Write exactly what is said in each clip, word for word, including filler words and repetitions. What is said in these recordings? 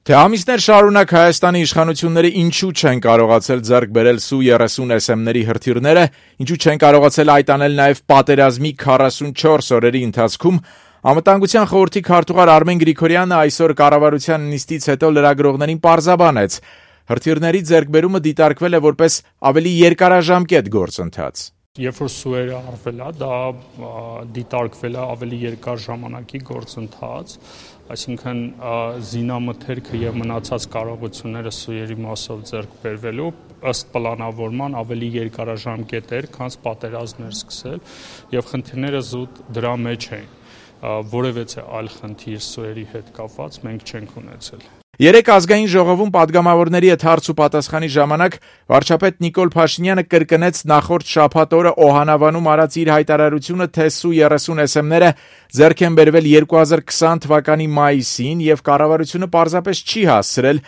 Թե ամիսներ շարունակ Հայաստանի իշխանությունները ինչու չեն կարողացել ձեռք բերել Սու երեսուն էս էմների հրթիռները, ինչու չեն կարողացել այդ անել նաև պատերազմի քառասունչորս օրերի ընթացքում, Անվտանգության խորհրդի քարտուղար Արմեն Գրիգորյանը այսօր կառավարության նիստից հետո լրագրողներին պարզաբանեց. հրթիռների ձեռքբերումը դիտարկվել է որպես ավելի երկարաժամկետ գործընթաց. Երբ որ սուերը արվել է, դա դիտարկվել է ավելի երկար ժամանակի գործընթաց, այսինքն զինամթերքը եւ մնացած կարողությունները սուերի մասով ձեռք բերվելու ըստ պլանավորման ավելի երկարաժամկետ էր, քան պատերազմներ սկսել, եւ խնդիրները զուտ դրա մեջ էին, որևէ այլ խնդիր սուերի հետ կապված մենք չենք ունեցել. Երեք ազգային ժողովում падգամավորների հետ հարց ու պատասխանի ժամանակ վարչապետ Նիկոլ Փաշինյանը կրկնեց նախորդ շաբաթ օրը Օհանավանում արած իր հայտարարությունը, թե Սու երեսուն էս էմները ձեռք են բերվել երկու հազար քսան թվականի մայիսին եւ կառավարությունը պարզապես չի հասցրել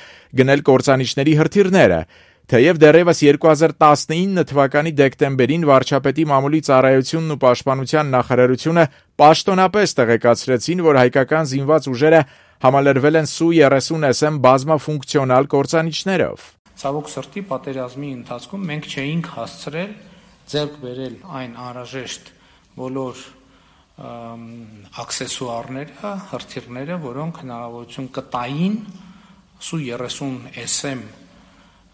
գնել կործանիչների հրթիռները. Թեև դեռևս երկու հազար տասնինը թվականի դեկտեմբերին վարչապետի մամուլի ծառայությունն ու պաշտպանության նախարարությունը պաշտոնապես տեղեկացրեցին, որ հայկական զինված ուժերը համալրվել են Սու երեսուն էս էմ բազմաֆունկցիոնալ կործանիչներով. Ցավոք սրտի պատերազմի ընթացքում մենք չէինք հասցրել ձեռք բերել այն անհրաժեշտ բոլոր աքսեսուարները, հրթիռները, որոնք հնարավորություն կտային Սու երեսուն էս էմ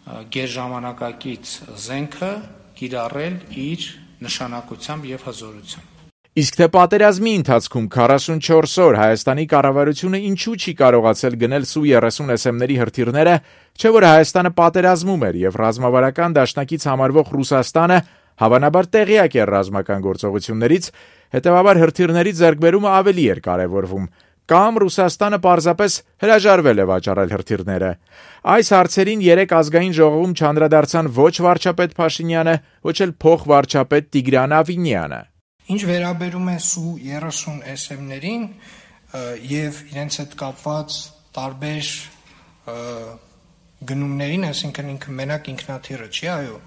գերժամանակակից զենքը կիրառել իր նշանակությամբ եւ հզորությամբ. Իսկ թե պատերազմի ընթացքում քառասունչորս օր Հայաստանի կառավարությունը ինչու չի կարողացել գնել Սու երեսուն էս էմների հրթիռները, չէ՞ որ Հայաստանը պատերազմում էր եւ ռազմավարական դաշնակից համարվող Ռուսաստանը հավանաբար տեղյակ էր ռազմական գործողություններից, հետեւաբար հրթիռների ձեռքբերումը ավելի էր կարեւորվում, կամ Ռուսաստանը պարզապես հրաժարվել է վաճառել հրթիռները. Այս հարցերին երեք ազգային ժողովում չանդրադարձան ոչ վարչապետ Փաշինյանը, ոչ էլ փոխվարչապետ Տիգրան Ավինյանը. Ինչ վերաբերում է Սու երեսուն էս էմներին եւ իրենց հետ կապված տարբեր գնումներին, այսինքն ինքը մենակ ինքնաթիռը չի, այո,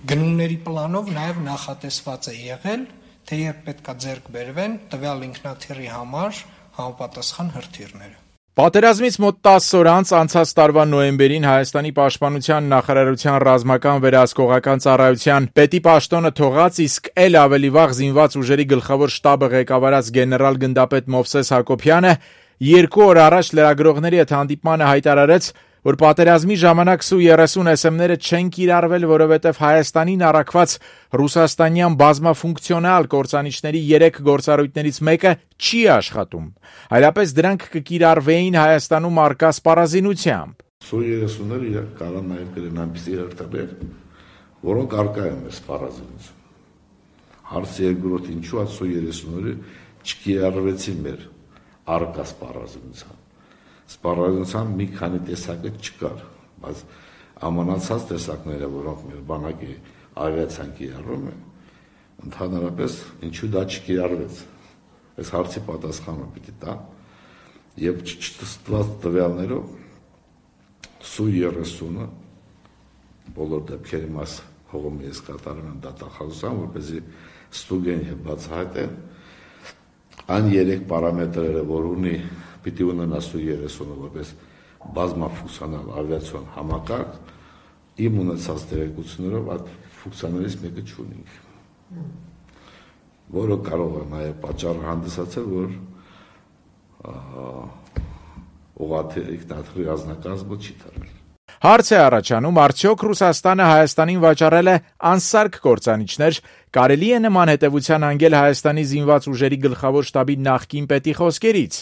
գնումների պլանով նաեւ նախատեսված է եղել, թե երբ պետք է ձեռք բերվեն տվյալ ինքնաթիռի համար համապատասխան հրթիռները. Պատերազմից մոտ տասը օր անց անցած տարվա նոյեմբերին Հայաստանի պաշտպանության նախարարության ռազմական վերահսկողական ծառայության պետի պաշտոնը թողած, իսկ ել ավելի վաղ զինված ուժերի գլխավոր շտաբը ղեկավարած գեներալ գնդապետ Մովսես Հակոբյանը երկու օր առաջ լրագրողների հետ հանդիպմանը հայտարարեց, որ պատերազմի ժամանակ Սու երեսուն էս էմները չեն կիրառվել, որովհետև Հայաստանին առաքված ռուսաստանյան բազմաֆունկցիոնալ կործանիչների երեք գործառույթներից մեկը չի աշխատում, այլապես դրանք կկիրառվեին Հայաստանում առկա սպառազինությամբ. Սու երեսունները իրենք կարող են նաև կրեն այնպիսի հրթիռներ, որոնք առկա են մեր սպառազինություն. Հարցը երկրորդ, ինչու այդ Սու երեսունները չկիրառվեցին մեր առկա սպառազինությամբ. Սպառազինության մի քանի տեսակը չկար, բայց ամանացած տեսակները, որոնք մեր բանակի ավիացիան կիրառում է, ընդհանրապես ինչու դա չկիրառվեց. Այս հարցի պատասխանը պիտի տա եւ չտստված տվյալներով Սու երեսունը բոլոր դեպքերի մաս հողում ես կատարում են դատախազության, որպեսզի ստուգեն եւ բացահայտեն այն երեք պարամետրերը, որ ունի պիտի ունենա Սու երեսունը որպես բազմաֆունկցիոնալ ավիացիոն համակարգ, իմ ունեցած տեղեկություններով այդ ֆունկցիաներից մեկը չունենք, որը կարող է նաև պատճառ հանդիսացել, որ ուղղաթիռ ինքնաթիռի անձնակազմը չի թռել. Հարց է առաջանում, արդյոք Ռուսաստանը Հայաստանին վաճառել է անսարք կործանիչներ, կարելի է նման հետևության հանգել Հայաստանի զինված ուժերի գլխավոր շտաբի նախկին պետի խոսքերից.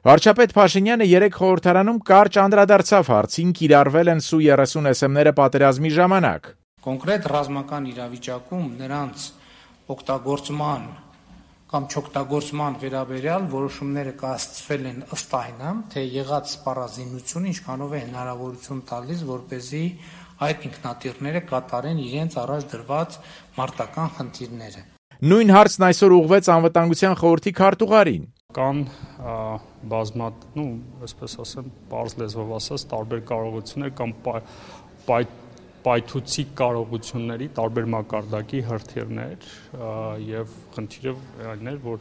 Վարչապետ Փաշինյանը երեք խորհրդարանում կարճ անդրադարձավ հարցին, կիրառվել են Սու երեսուն էս էմները պատերազմի ժամանակ. Կոնկրետ ռազմական իրավիճակում նրանց օգտագործման կամ չօգտագործման վերաբերյալ որոշումները կայացվել են ըստ այն, թե եղած սպառազինությունը ինչքանով է հնարավորություն տալիս, որպեսզի այդ ինքնաթիռները կատարեն իրենց առաջ դրված մարտական խնդիրները. Նույն հարցն այսօր ուղղվեց Անվտանգության խորհրդի քարտուղարին. Կան բազմա, ну, այսպես ասեմ, բարձ լեզվով ասած, տարբեր կարողություններ կամ պայթուցիկ կարողությունների տարբեր մակարդակի հրթիռներ եւ խնդիրը այն էր, որ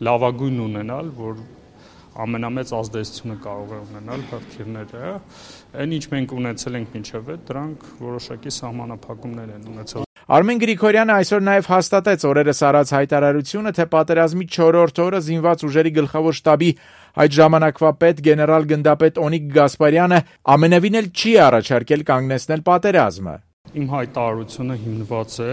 լավագույն ունենալ, որ ամենամեծ ազդեցությունը կարող է ունենալ հրթիռները։ Այն ինչ մենք ունեցել ենք մինչև այդ, դրանք որոշակի սահմանափակումներ են ունեցել։ Արմեն Գրիգորյանը այսօր նաև հաստատեց օրերս արած հայտարարությունը, թե պատերազմի չորրորդ օրը զինված ուժերի գլխավոր շտաբի այդ ժամանակվա պետ գեներալ գնդապետ Օնիկ Գասպարյանը ամենևին էլ չի առաջարկել կանգնեցնել պատերազմը։ Իմ հայտարարությունը հիմնված է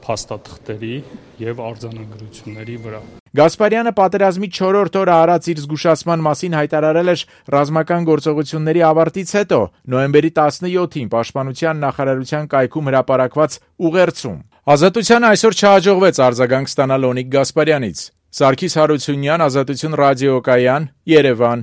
փաստաթղթերի եւ արձանագրությունների վրա։ Գասպարյանը պատերազմի չորրորդ օրը արած իր զգուշացման մասին հայտարարել էր ռազմական գործողությունների ավարտից հետո, նոյեմբերի տասնյոթին Պաշտպանության նախարարության կայքում հրապարակված ուղերձում։ Ազատությանը այսօր չհաջողվեց արձագանք ստանալ Օնիկ Գասպարյանից։ Սարգիս Հարությունյան, Ազատություն ռադիոկայան, Երևան։